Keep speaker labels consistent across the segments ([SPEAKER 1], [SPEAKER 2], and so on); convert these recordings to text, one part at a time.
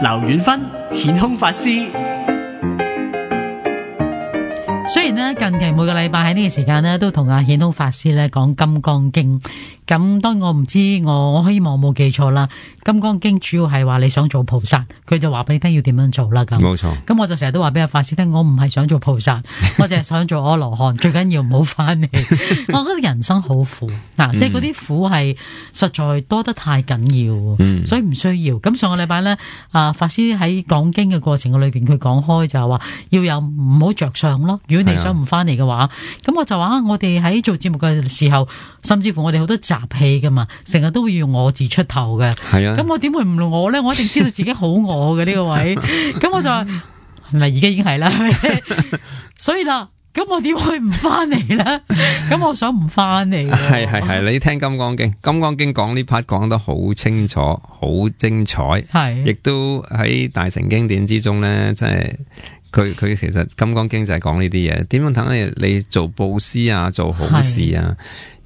[SPEAKER 1] 劉遠芬顯空法師。
[SPEAKER 2] 雖然咧近期每個禮拜喺呢個時間咧都同阿顯空法師咧講金剛經，咁當然我唔知我希望我冇記錯啦。金剛經主要係話你想做菩薩，佢就話俾你聽要點樣做啦。咁
[SPEAKER 3] 冇錯。咁
[SPEAKER 2] 我就成日都話俾阿法師聽，我唔係想做菩薩，我淨係想做阿羅漢，最緊要唔好翻嚟。我覺得人生好苦嗱，即係嗰啲苦係實在多得太緊要，所以唔需要。咁上個禮拜咧，法師喺講經嘅過程嘅裏邊，佢講開就係話要有唔好着相咯。如果你想唔翻嚟嘅話，咁我就話我哋喺做節目嘅時候，甚至乎我哋好多雜氣噶嘛，成日都會用我字出頭嘅。
[SPEAKER 3] 係啊。
[SPEAKER 2] 咁我點會唔我咧？我一定知道自己好我嘅呢個位。咁我就話係咪而家已經係啦？所以啦，咁我點會唔翻嚟咧？咁我想唔翻嚟。
[SPEAKER 3] 係，你聽金剛經，金剛經講呢 part 講得好清楚，好精彩。係，亦都喺大乘經典之中咧，即係。佢其實金剛經就係講呢啲嘢，點樣等你做布施啊，做好事啊，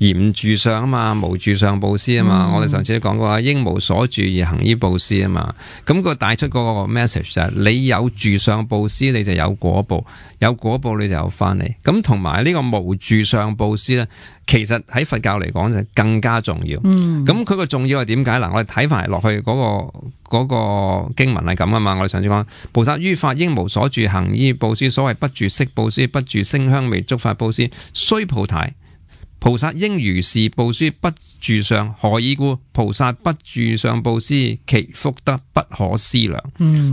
[SPEAKER 3] 而唔住相啊嘛，無住相布施啊嘛。我哋上次都講過啊，應無所住而行於布施啊嘛。咁佢帶出嗰個 message 就係你有住相布施，你就有果報，有果報你就有翻嚟。咁同埋呢個無住相布施咧，其實喺佛教嚟講就更加重要。咁佢個重要係點解？嗱，我哋睇埋落去嗰個經文係咁啊嘛。我哋上次講菩薩於法應無所住行於布施，所謂不住色布施，不住聲香味觸法布施，須菩提，菩薩應如是布施，不住相。何以故？菩薩不住相布施，其福德不可思量。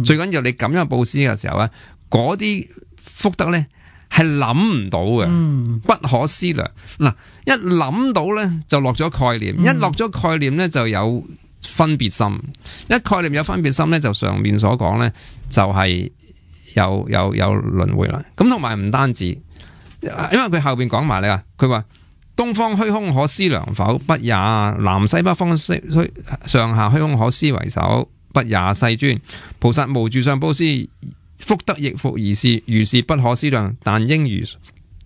[SPEAKER 3] 最緊要你咁樣布施嘅時候咧，嗰啲福德咧係諗唔到嘅，不可思量。嗱，一諗到咧就落咗概念，一落咗概念咧就有分別心，一概念有分別心咧，就上面所講咧就係有輪迴啦。咁同埋唔單止，因為佢後邊講埋你啊，佢話東方虛空可思量否？不也。南西北方上下虛空可思為首？不也。世尊，菩薩無住相布施，福德亦復如是不可思量，但應如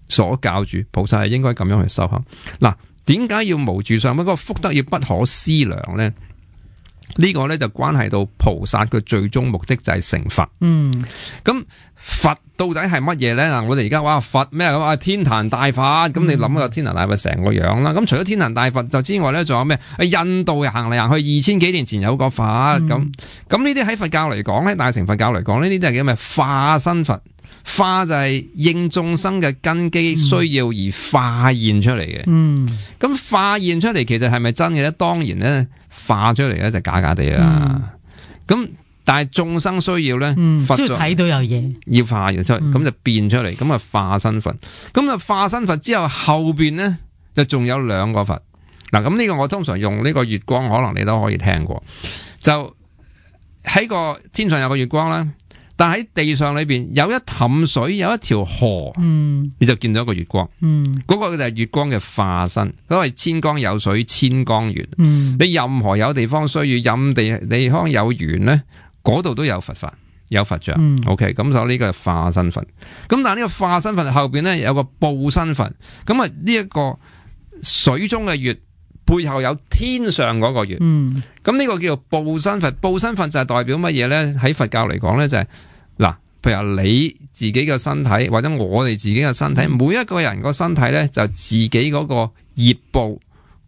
[SPEAKER 3] 所教住。菩薩係應該咁樣去修行。嗱，點解要無住相？嗰個福德要不可思量咧？呢個咧就關係到菩薩嘅最終目的就係成佛。咁佛到底係乜嘢咧？嗱，我哋而家話佛咩咁啊？天壇大佛，咁你諗下天壇大佛成個樣啦。咁除咗天壇大佛就之外咧，仲有咩？印度行嚟行去2000幾年前有個佛。咁呢啲喺佛教嚟講咧，大乘佛教嚟講呢啲都係叫咩？化身佛。化就係應眾生嘅根基需要而化現出嚟嘅。咁化現出嚟其實係咪真嘅咧？當然咧，化出嚟咧就假假地啦。咁但係眾生需要咧，佛
[SPEAKER 2] 需要睇到有嘢，
[SPEAKER 3] 要化現出嚟，咁就變出嚟，咁啊化身佛。咁啊化身佛之後邊咧就仲有兩個佛。嗱，咁呢個我通常用呢個月光，可能你都可以聽過。就喺個天上有個月光啦。但喺地上裏邊有一潭水，有一條河，你就見到一個月光。嗰個就係月光嘅化身，所謂千江有水千江源。你任何有地方需要，任地方有緣咧，嗰度都有佛法，有佛像。OK， 咁所以呢個係化身佛。咁但係呢個化身佛後邊咧有個報身佛。咁啊呢一個水中嘅月背後有天上嗰個月。咁呢個叫做報身佛。報身佛就係代表乜嘢咧？喺佛教嚟講咧就係嗱，譬如你自己嘅身體或者我哋自己嘅身體，每一個人個身體咧就自己嗰個業報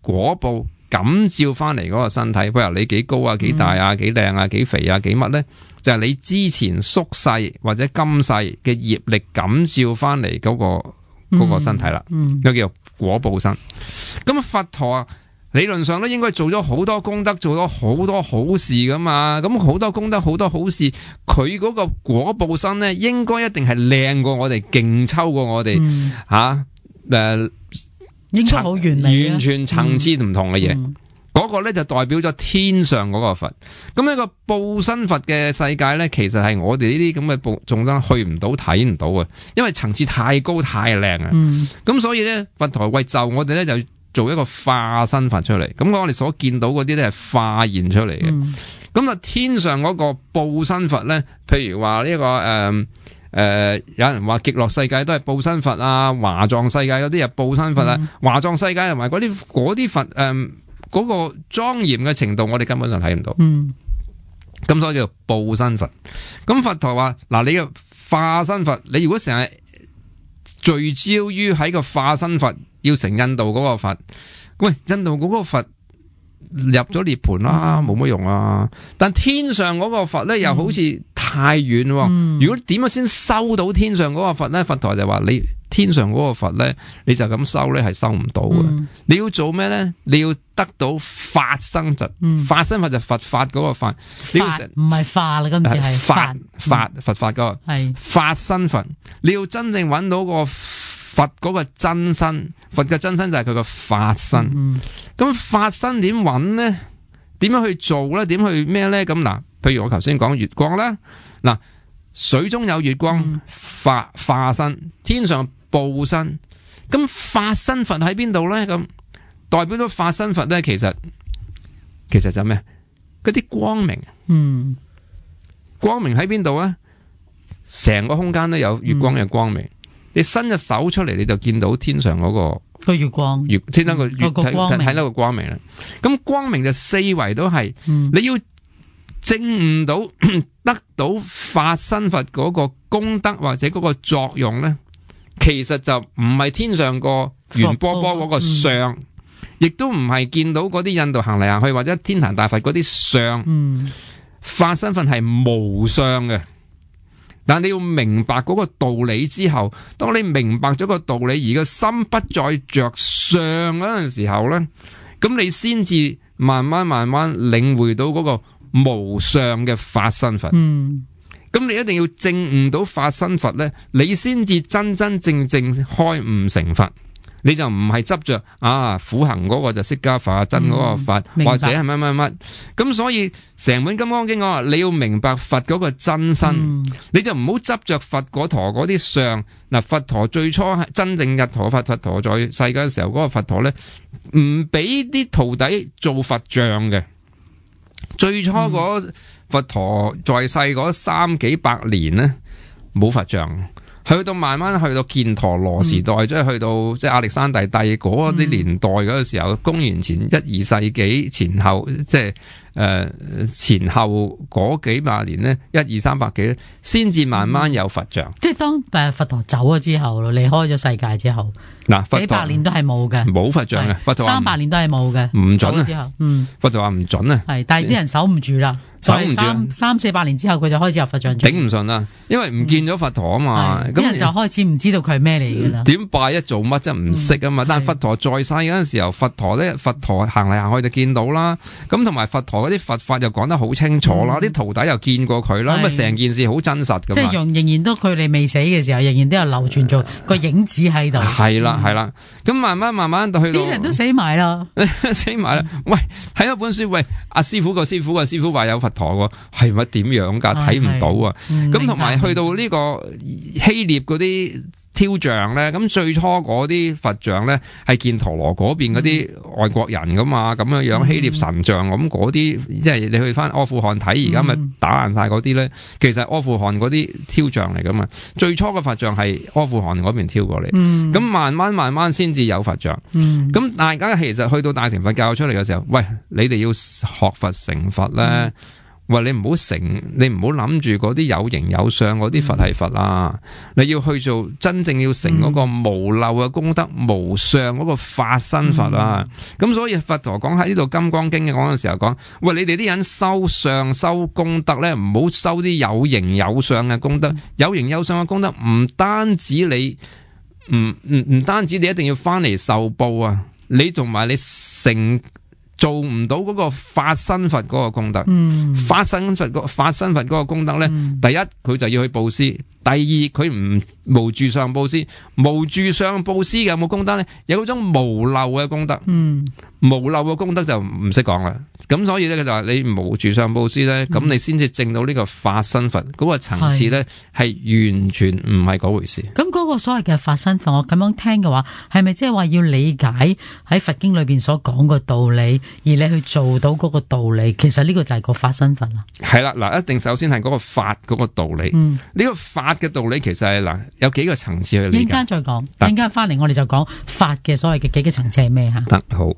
[SPEAKER 3] 果報感召翻嚟嗰個身體。譬如你幾高啊，幾大啊，幾靚啊，幾肥啊，幾乜咧，就係你之前宿世或者今世嘅業力感召翻嚟嗰個身體啦。呢個叫做果報身。咁佛陀啊，理論上咧應該做咗好多功德，做咗好多好事噶嘛。咁好多功德，好多好事，佢嗰個果報身咧，應該一定係靚過我哋，勁抽過我哋
[SPEAKER 2] 應該好完美，
[SPEAKER 3] 完全層次唔同嘅嘢。嗰個咧就代表咗天上嗰個佛。咁呢個報身佛嘅世界咧，其實係我哋呢啲咁嘅眾生去唔到、睇唔到嘅，因為層次太高太靚啊。咁所以咧，佛陀為就我哋咧就做一個化身佛出嚟。咁我哋所見到嗰啲咧係化現出嚟嘅。咁啊，天上嗰個報身佛咧，譬如話呢個有人話極樂世界都係報身佛啊，華藏世界有啲係報身佛啊，華藏世界同埋嗰啲佛嗰個莊嚴嘅程度，我哋根本上睇唔到。咁所以叫做報身佛。咁佛陀話嗱，你嘅化身佛，你如果成日聚焦於喺個化身佛，要成印度嗰個佛，喂，印度嗰個佛入咗涅槃啦，冇乜用啊。但天上嗰個佛咧，又好似太遠。如果點樣先收到天上嗰個佛咧？佛陀就話你天上嗰個佛咧，你就咁收咧，係收唔到嘅。你要做咩咧？你要得到法身佛，法身佛就佛法嗰個法，你要
[SPEAKER 2] 唔係化啦，今次係
[SPEAKER 3] 法佛法嗰個係法身佛。你要真正揾到個佛嗰個真身，佛嘅真身就係佢個法身。咁法身點揾咧？點樣去做咧？點去咩咧？咁嗱，譬如我頭先講月光啦，嗱，水中有月光，化身，天上報身。咁法身佛喺邊度咧？咁代表咗法身佛咧，其實就咩？嗰啲光明，光明喺邊度啊？成個空間都有月光嘅光明。你伸隻手出嚟，你就見到天上嗰個
[SPEAKER 2] 月光，
[SPEAKER 3] 天上個月睇到個光明啦。咁光明就四圍都係，你要證悟到得到法身佛嗰個功德或者嗰個作用咧，其實就唔係天上個圓波波嗰個相，亦都唔係見到嗰啲印度行嚟行去或者天壇大佛嗰啲相。法身佛係無相嘅。但你要明白嗰個道理之後，當你明白咗個道理，而個心不再着相嗰陣時候咧，咁你先至慢慢領會到嗰個無相嘅法身佛。咁你一定要證悟到法身佛咧，你先至真真正正開悟成佛。你就唔係執着苦行嗰個就釋迦佛，真嗰個佛，或者係乜，咁所以成本金剛經講話，你要明白佛嗰個真身，你就唔好執着佛嗰陀嗰啲相。嗱，佛陀最初係真正日陀佛陀在世嘅時候，嗰個佛陀咧唔俾啲徒弟做佛像嘅。最初嗰佛陀在世嗰3幾百年咧，冇佛像。去到慢慢去到犍陀羅時代，即係去到亞歷山大帝嗰啲年代嗰個時候，公元前1、2世紀前後，即係前後嗰幾百年咧，1、2、300幾咧，先至慢慢有佛像。
[SPEAKER 2] 即係當佛陀走咗之後，離開咗世界之後，幾百年都係冇嘅，
[SPEAKER 3] 冇佛像嘅。佛陀
[SPEAKER 2] 300年都係冇嘅，
[SPEAKER 3] 唔準啊！
[SPEAKER 2] 之後，
[SPEAKER 3] 佛陀話唔準啊。
[SPEAKER 2] 係，但係啲人守唔住啦。守唔住，300-400年之後佢就開始有佛像，
[SPEAKER 3] 頂唔順啦，因為唔見咗佛陀啊嘛，
[SPEAKER 2] 咁人就開始唔知道佢係咩嚟噶啦。
[SPEAKER 3] 點拜一做乜真唔識啊嘛？但係佛陀在世嗰陣時候，佛陀行嚟行去就見到啦，咁同埋佛陀嗰啲佛法又講得好清楚啦，啲徒弟又見過佢啦，咁啊成件事好真實噶嘛。即係
[SPEAKER 2] 仍然都佢哋未死嘅時候，仍然都有流傳做個影子喺度。
[SPEAKER 3] 係啦，咁慢慢到去到
[SPEAKER 2] 啲人都死埋啦，
[SPEAKER 3] 喂，睇一本書，喂，阿師傅個師傅話有佛陀係咪點樣噶？睇唔到啊！咁同埋去到呢個希臘嗰啲雕像咧，咁最初嗰啲佛像咧係犍陀羅嗰邊嗰啲外國人噶嘛，咁樣希臘神像咁嗰啲，即係你去翻阿富汗睇，而家咪打爛晒嗰啲咧，其實阿富汗嗰啲雕像嚟噶嘛。最初嘅佛像係阿富汗嗰邊挑過嚟，咁慢慢先至有佛像。咁大家其實去到大乘佛教出嚟嘅時候，喂，你哋要學佛成佛咧。喂，你唔好諗住嗰啲有形有相嗰啲佛係佛啊！你要去做真正要成嗰個無漏嘅功德、無相嗰個法身佛啊！咁所以佛陀講喺呢度《金剛經》嘅講嘅時候講，喂，你哋啲人修相修功德咧，唔好修啲有形有相嘅功德。有形有相嘅功德唔單止你唔單止你一定要翻嚟受報啊！你同埋你做唔到嗰個法身佛嗰個功德，法身佛嗰個功德咧，第一佢就要去布施，第二佢唔無住相布施，無住相布施有冇功德咧？有嗰種無漏嘅功德，無漏嘅功德就唔識講啦。咁所以咧，佢就話你無住相布施咧，咁你先至證到呢個法身佛嗰個層次咧，係完全唔係嗰回事。
[SPEAKER 2] 咁嗰個所謂嘅法身佛，我咁樣聽嘅話，係咪即係話要理解喺佛經裏邊所講個道理，而你去做到嗰個道理？其實呢個就係個法身佛啦。係
[SPEAKER 3] 啦，嗱，一定首先係嗰個法嗰個道理。呢個法嘅道理其實係嗱有幾個層次去理解。
[SPEAKER 2] 陣間再講，陣間翻嚟我哋就講法嘅所謂嘅幾個層次係咩吓？
[SPEAKER 3] 得好。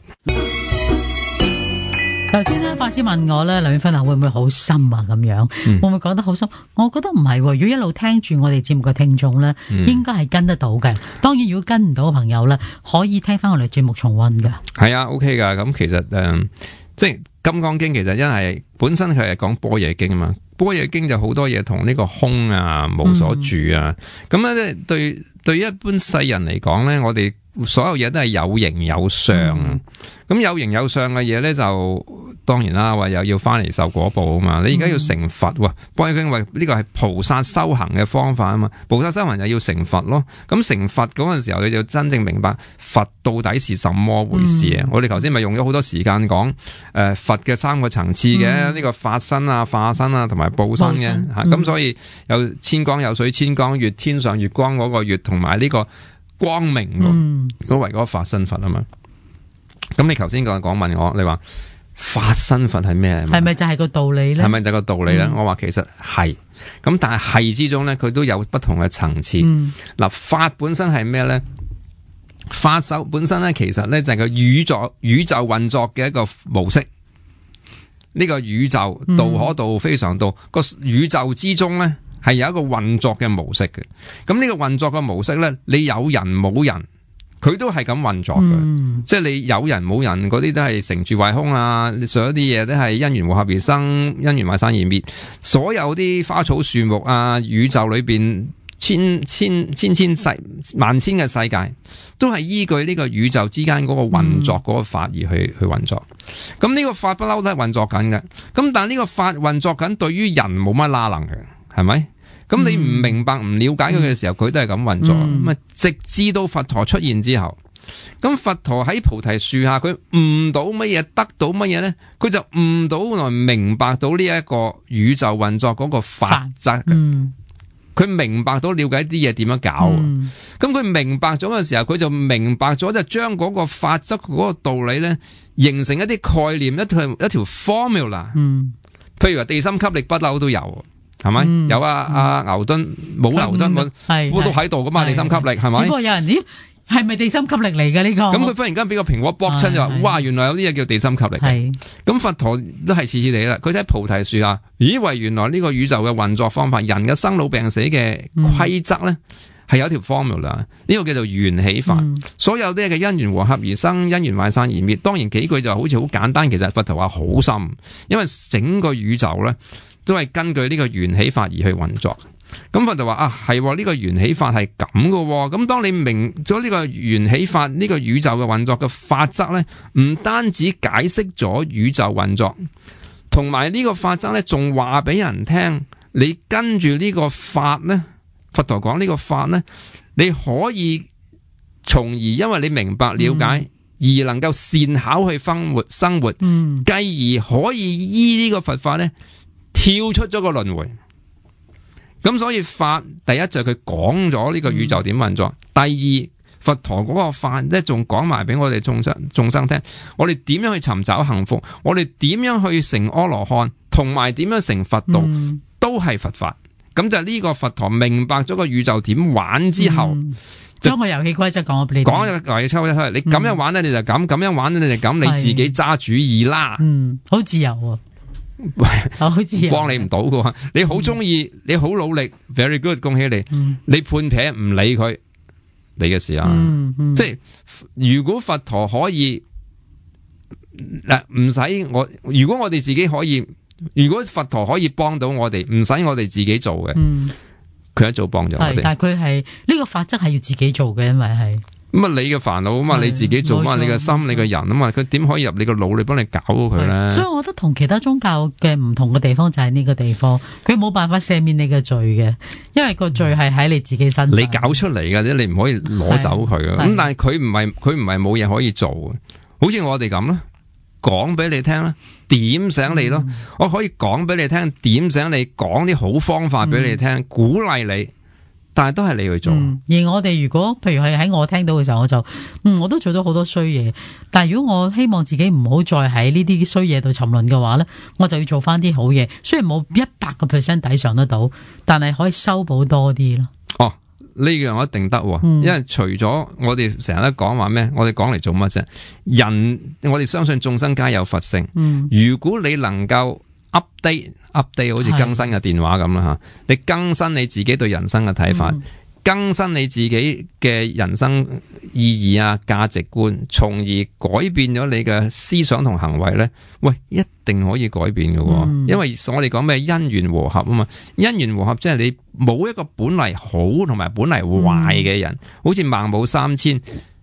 [SPEAKER 2] 頭先咧，法師問我咧，梁遠芬會唔會好深啊？咁樣會唔會講得好深？我覺得唔係，如果一路聽住我哋節目嘅聽眾咧，應該係跟得到嘅。當然，如果跟唔到嘅朋友咧，可以聽翻我哋節目重溫噶。
[SPEAKER 3] 係啊 ，OK 噶。咁其實即係《金剛經》，其實因為本身佢係講般若經啊嘛。般若經就好多嘢同呢個空啊、無所住啊。咁咧，對一般世人嚟講咧，我哋所有嘢都係有形有相。咁有形有相嘅嘢咧，就當然啦，話又要翻嚟受果報啊嘛。你而家要成佛喎，般若經話呢個係菩薩修行嘅方法啊嘛。菩薩修行就要成佛咯。咁成佛嗰陣時候，你就真正明白佛到底是什麼回事啊。我哋頭先咪用咗好多時間講佛嘅三個層次嘅，呢個法身啊、化身啊同埋報身嘅吓。咁所以有千光有水千光月，天上月光嗰個月同埋呢個光明都為嗰個法身佛啊嘛。咁你頭先講問我，你話法身佛係咩？
[SPEAKER 2] 係咪就係個道理咧？
[SPEAKER 3] 係咪就係個道理咧？我話其實係，咁但係之中咧，佢都有不同嘅層次。嗱，法本身係咩咧？法手本身咧，其實咧就係個宇宙運作嘅一個模式。呢個宇宙道可道非常道，個宇宙之中咧係有一個運作嘅模式嘅。咁呢個運作嘅模式咧，你有人冇人，佢都係咁運作嘅，即係你有人冇人嗰啲都係成住壞空啊，所有啲嘢都係因緣和合而生，因緣壞散而滅。所有啲花草樹木啊，宇宙裏邊千萬千嘅世界，都係依據呢個宇宙之間嗰個運作嗰個法而去運作。咁呢個法不嬲都係運作緊嘅。咁但係呢個法運作緊，對於人冇乜拉能嘅，係咪？咁你唔明白唔了解佢嘅時候，佢都係咁運作。咁直至到佛陀出現之後，咁佛陀喺菩提樹下，佢悟到乜嘢，得到乜嘢咧？佢就悟到來明白到呢一個宇宙運作嗰個法則。佢明白到了解啲嘢點樣搞。咁佢明白咗嘅時候，佢就明白咗就將嗰個法則嗰個道理咧，形成一啲概念，一條 formula。譬如話地心吸力不嬲都有。係咪？有牛頓冇牛頓，我都喺度噶嘛？地心吸力係咪？
[SPEAKER 2] 只不過有人咦，係咪地心吸力嚟嘅呢個？
[SPEAKER 3] 咁佢忽然間俾個蘋果卜親就話，哇！原來有啲嘢叫地心吸力嘅。咁佛陀都係似似地啦。佢喺菩提樹下，咦？為原來呢個宇宙嘅運作方法，人嘅生老病死嘅規則咧，係有一條 formula。呢個叫做緣起法。所有啲嘅因緣和合而生，因緣壞散而滅。當然幾句就好似好簡單，其實佛陀話好深，因為整個宇宙咧，都係根據呢個緣起法而去運作。咁佛就話係呢個緣起法係咁嘅。咁當你明咗呢個緣起法，呢個宇宙嘅運作嘅法則咧，唔單止解釋咗宇宙運作，同埋呢個法則咧，仲話俾人聽，你跟住呢個法咧，佛陀講呢個法咧，你可以從而因為你明白了解，而能夠善巧去生活，繼而可以依呢個佛法咧，跳出咗個輪迴。咁所以法第一就係佢講咗呢個宇宙點運作，第二佛陀嗰個法咧仲講埋俾我哋眾生聽，我哋點樣去尋找幸福，我哋點樣去成阿羅漢，同埋點樣成佛道，都係佛法。咁就呢個佛陀明白咗個宇宙點玩之後，
[SPEAKER 2] 將個遊戲規則講俾你聽，
[SPEAKER 3] 講個遊戲規則，你咁樣玩咧你就咁樣玩咧你就咁，你自己揸主意啦。
[SPEAKER 2] 好自由啊。好自由，
[SPEAKER 3] 幫你唔到噶。你好中意，你好努力 ，very good， 恭喜你。你判撇唔理佢，你嘅事啊。即係如果佛陀可以嗱，唔使我。如果我哋自己可以，如果佛陀可以幫到我哋，唔使我哋自己做嘅，佢一早幫咗我哋。
[SPEAKER 2] 但係佢係呢個法則係要自己做嘅，因為係。
[SPEAKER 3] 咁啊，你嘅煩惱啊嘛，你自己做嘛，你嘅心，你嘅人啊嘛，佢點可以入你個腦，你幫你搞到佢咧？
[SPEAKER 2] 所以我覺得同其他宗教嘅唔同嘅地方就係呢個地方，佢冇辦法赦免你嘅罪嘅，因為個罪係喺你自己身上。
[SPEAKER 3] 你搞出嚟嘅啫，你唔可以攞走佢嘅。咁但係佢唔係冇嘢可以做嘅，好似我哋咁啦，講俾你聽啦，點醒你咯。我可以講俾你聽，點醒你，講啲好方法俾你聽，鼓勵你。但係都係你去做，
[SPEAKER 2] 而我哋如果譬如係喺我聽到嘅時候，我就我都做到好多衰嘢。但係如果我希望自己唔好再喺呢啲衰嘢度沉淪嘅話咧，我就要做翻啲好嘢。雖然冇100% 抵償得到，但係可以修補多啲咯。
[SPEAKER 3] 呢樣我一定得，因為除咗我哋成日都講話咩，我哋講嚟做乜啫？人我哋相信眾生皆有佛性，如果你能夠 update 好似更新嘅電話咁啦吓，你更新你自己對人生嘅睇法，更新你自己嘅人生意義啊、價值觀，從而改變咗你嘅思想同行為咧，喂，一定可以改變嘅，因為我哋講咩因緣和合啊嘛，因緣和合即係你冇一個本嚟好同埋本嚟壞嘅人，好似孟母三遷。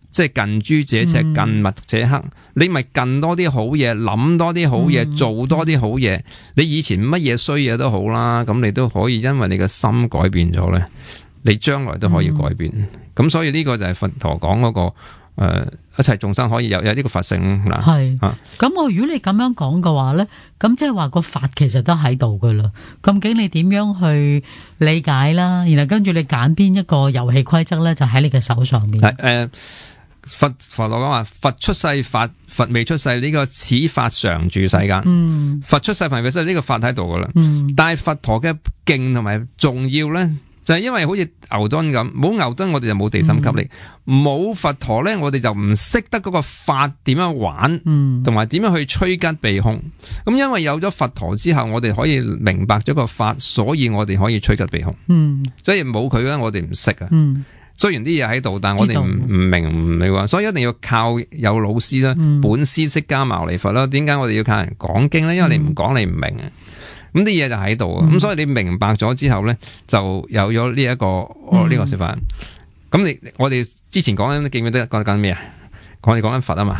[SPEAKER 3] 即係近朱者赤，近墨者黑。你咪近多啲好嘢，諗多啲好嘢，做多啲好嘢。你以前乜嘢衰嘢都好啦，咁你都可以因為你嘅心改變咗咧，你將來都可以改變。咁所以呢個就係佛陀講嗰個一切眾生可以有呢個佛性嗱。
[SPEAKER 2] 係咁我如果你咁樣講嘅話咧，咁即係話個法其實都喺度噶啦。究竟你點樣去理解啦？然後跟住你揀邊一個遊戲規則咧，就喺你嘅手上面。
[SPEAKER 3] 佛陀講話，佛出世法，佛未出世，呢個此法常住世間。佛出世，佛未出世，呢個法喺度噶啦。但係佛陀嘅勁同埋重要咧，就係因為好似牛頓咁，冇牛頓我哋就冇地心吸力，冇佛陀咧，我哋就唔識得嗰個法點樣玩，同埋點樣去趨吉避凶。咁因為有咗佛陀之後，我哋可以明白咗個法，所以我哋可以趨吉避凶。所以冇佢咧，我哋唔識啊。雖然啲嘢喺度，但係我哋唔明話，所以一定要靠有老師啦，本師釋迦牟尼佛啦。點解我哋要靠人講經咧？因為你唔講你唔明啊。咁啲嘢就喺度啊。咁所以你明白咗之後咧，就有咗呢一個呢個說法。咁我哋之前講緊記唔記得講緊咩啊？我哋講緊佛啊嘛，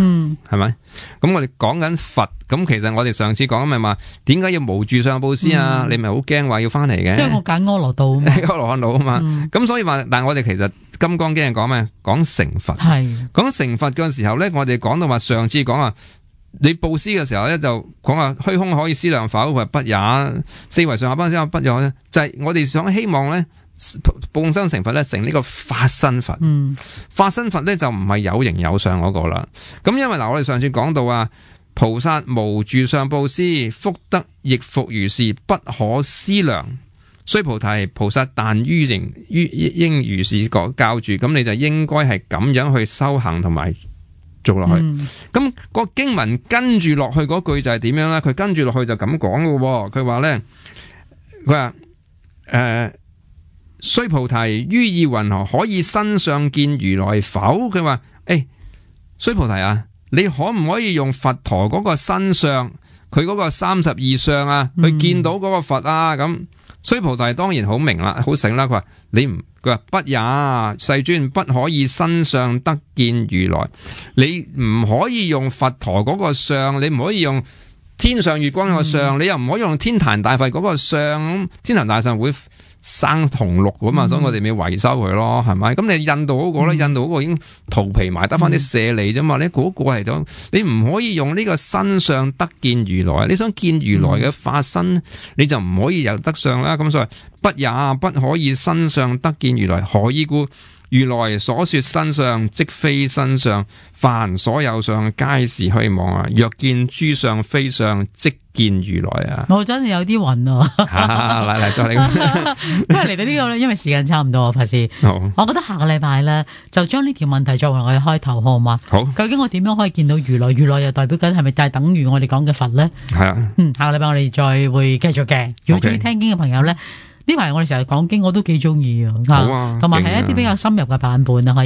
[SPEAKER 3] 係咪？咁我哋講緊佛，咁其實我哋上次講咪話，點解要無住相布施啊？你咪好驚話要翻嚟嘅？因為
[SPEAKER 2] 我揀阿羅道，
[SPEAKER 3] 阿羅漢道啊嘛。咁所以話，但係我哋其實《金剛經》係講咩？講成佛。係講成佛嘅時候咧，我哋講到話，上次講啊，你布施嘅時候咧，就講話虛空可以思量否？佢話不也。四維上下班先不也咧，就係我哋想希望咧。報身成佛咧，成呢個法身佛。法身佛咧就唔係有形有相嗰個啦。咁因為嗱，我哋上次講到啊，菩薩無住相布施，福德亦復如是，不可思量。須菩提，菩薩但應如是教住，咁你就應該係咁樣去修行同埋做落去。咁個經文跟住落去嗰句就係點樣咧？佢跟住落去就咁講嘅。佢話咧，佢話須菩提，於意云何？可以身相見如來否？佢話須菩提啊，你可唔可以用佛陀嗰個身相，佢嗰個32相啊，去見到嗰個佛啊？咁須菩提當然好明啦，好醒啦。佢話佢話不也，世尊，不可以身相得見如來。你唔可以用佛陀嗰個相，你唔可以用天上月光嗰個相，你又唔可以用天壇大佛嗰個相。天壇大佛會生銅綠噶嘛，所以我哋咪維修佢咯，係咪？咁你印度嗰個咧，印度嗰個已經塗皮埋，得翻啲舍利啫嘛。你嗰個係咗，你唔可以用呢個身相得見如來。你想見如來嘅法身，你就唔可以有得相啦。咁所以不也，不可以身相得見如來。何以故？如來所說身相，即非身相。凡所有相，皆是虛妄啊！若見諸相非相，即見如來啊！
[SPEAKER 2] 我真係有啲暈啊！
[SPEAKER 3] 嚟再嚟，
[SPEAKER 2] 因為嚟到呢個咧，因為時間差唔多啊，法師。好，我覺得下個禮拜咧，就將呢條問題作為我哋開頭，好嘛？好。究竟我點樣可以見到如來？如來又代表緊係咪就係等於我哋講嘅佛咧？係啊。下個禮拜我哋再會繼續嘅。如果中意聽經嘅朋友咧，呢排我哋成日講經，我都幾中意啊。好啊。同埋係一啲比較深入嘅版本啊，可以。